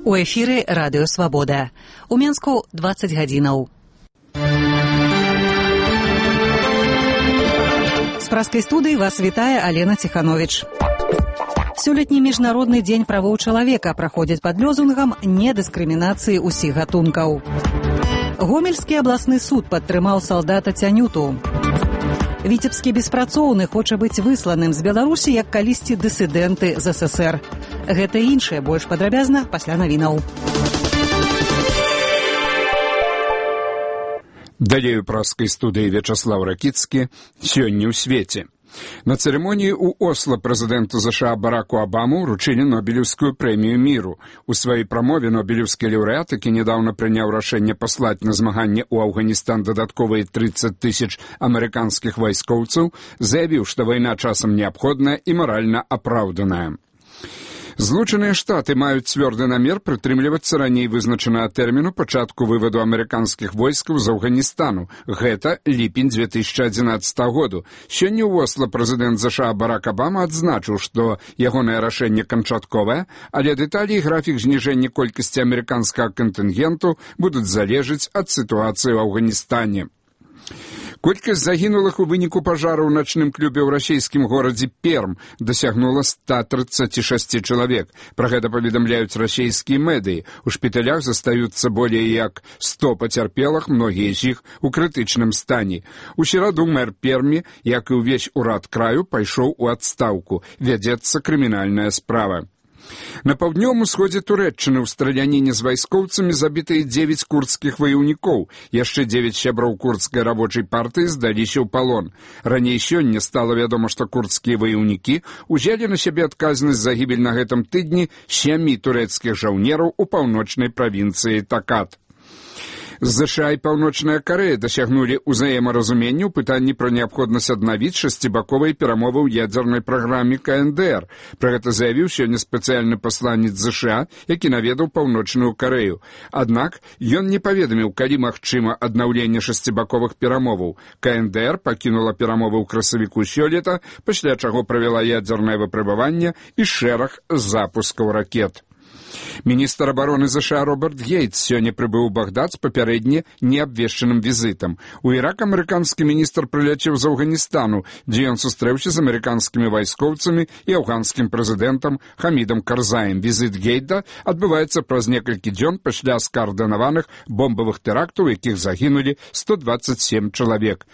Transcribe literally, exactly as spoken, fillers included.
У эфіры радыё «Свабода». У Менску дваццаць гадзінаў. З праскай студыі вас вітае Алена Ціхановіч. Сёлетні міжнародны дзень правоў чалавека праходзіць пад лозунгам недыскрымінацыі ўсіх гатункаў. Гомельскі абласны суд падтрымаў салдата Цянюту. Віцебскі беспрацоўны хоча быць высланым з Беларусі, як калісьці дысідэнты з эс эс ер. Гэта і іншае больш падрабязна пасля навінаў. Далей у праскай студыі Вячаслав Ракіцкі. Сёння ў свеце. На церемонии у Осло президенту США Бараку Обаму вручили Нобелевскую премию миру. У своей промове Нобелевский лауреат, які недавно принял решение послать на змагання у Афганистан додатковые тридцать тысяч американских войскоўцаў, заявил, что война часом необходная и морально оправданная. Злучаныя Штаты маюць цвёрды намер прытрымлівацца раней вызначанага тэрміну пачатку вываду амерыканскіх войскаў з Афганістану. Гэта ліпень две тысячи одиннадцатого году. Сёння ў Осло прэзідэнт США Барак Обама адзначыў, што ягонае рашэнне канчатковае, але дэталі і графік зніжэння колькасці амерыканскага кантынгенту будуць залежаць ад сітуацыі ў Афганістане. Колькасць загінулых у выніку пажару ў начным клубе ў расійскім горадзе Перм дасягнула ста тридцати шести чалавек. Пра гэта паведамляюць расійскія медыі. У шпіталях застаюцца болей як сто пацярпелых, многія з іх у крытычным стане. У сераду мэр Пермі, як і ўвесь урад краю, пайшоў у адстаўку. Вядзецца крымінальная справа. На паўднёвым усходзе Турэччыны ў страляніне з вайскоўцамі забітыя дзевяць курдскіх ваяўнікоў. Яшчэ дзевяць сяброў курдскай рабочай партыі здаліся ў палон. Раней сёння стала вядома, што курдскія ваяўнікі узялі на сябе адказнасць за гібель на гэтым тыдні сямі турэцкіх жаўнераў у паўночнай правінцыі Такат. ЗША і Паўночная Карэя дасягнулі ўзаемаразумення ў пытанні пра неабходнасць аднавіць шасцібаковыя перамовы ў ядзернай праграме ка эн дэ эр. Пра гэта заявіў сёння спецыяльны пасланец ЗША, які наведаў Паўночную Карэю. Аднак ён не паведаміў, калі магчыма аднаўленне шасцібаковых перамоваў. ка эн дэ эр пакінула перамовы ў красавіку сёлета, пасля чаго правяла ядзернае выпрабаванне і шэраг запускаў ракет. Міністр абароны ЗША Роберт Гейтс сёння прыбыў у Багдад з папярэдне неабвешчаным візітам. У Ірак амерыканскі міністр прыляцеў з Афганістану, дзе ён сустрэўся з амерыканскімі вайскоўцамі і афганскім прэзідэнтам Хамідам Карзаем. Візіт Гейта адбываецца праз некалькі дзён пасля скаардынаваных бомбавых тэрактаў, у якіх загінулі сто двадцать семь чалавек.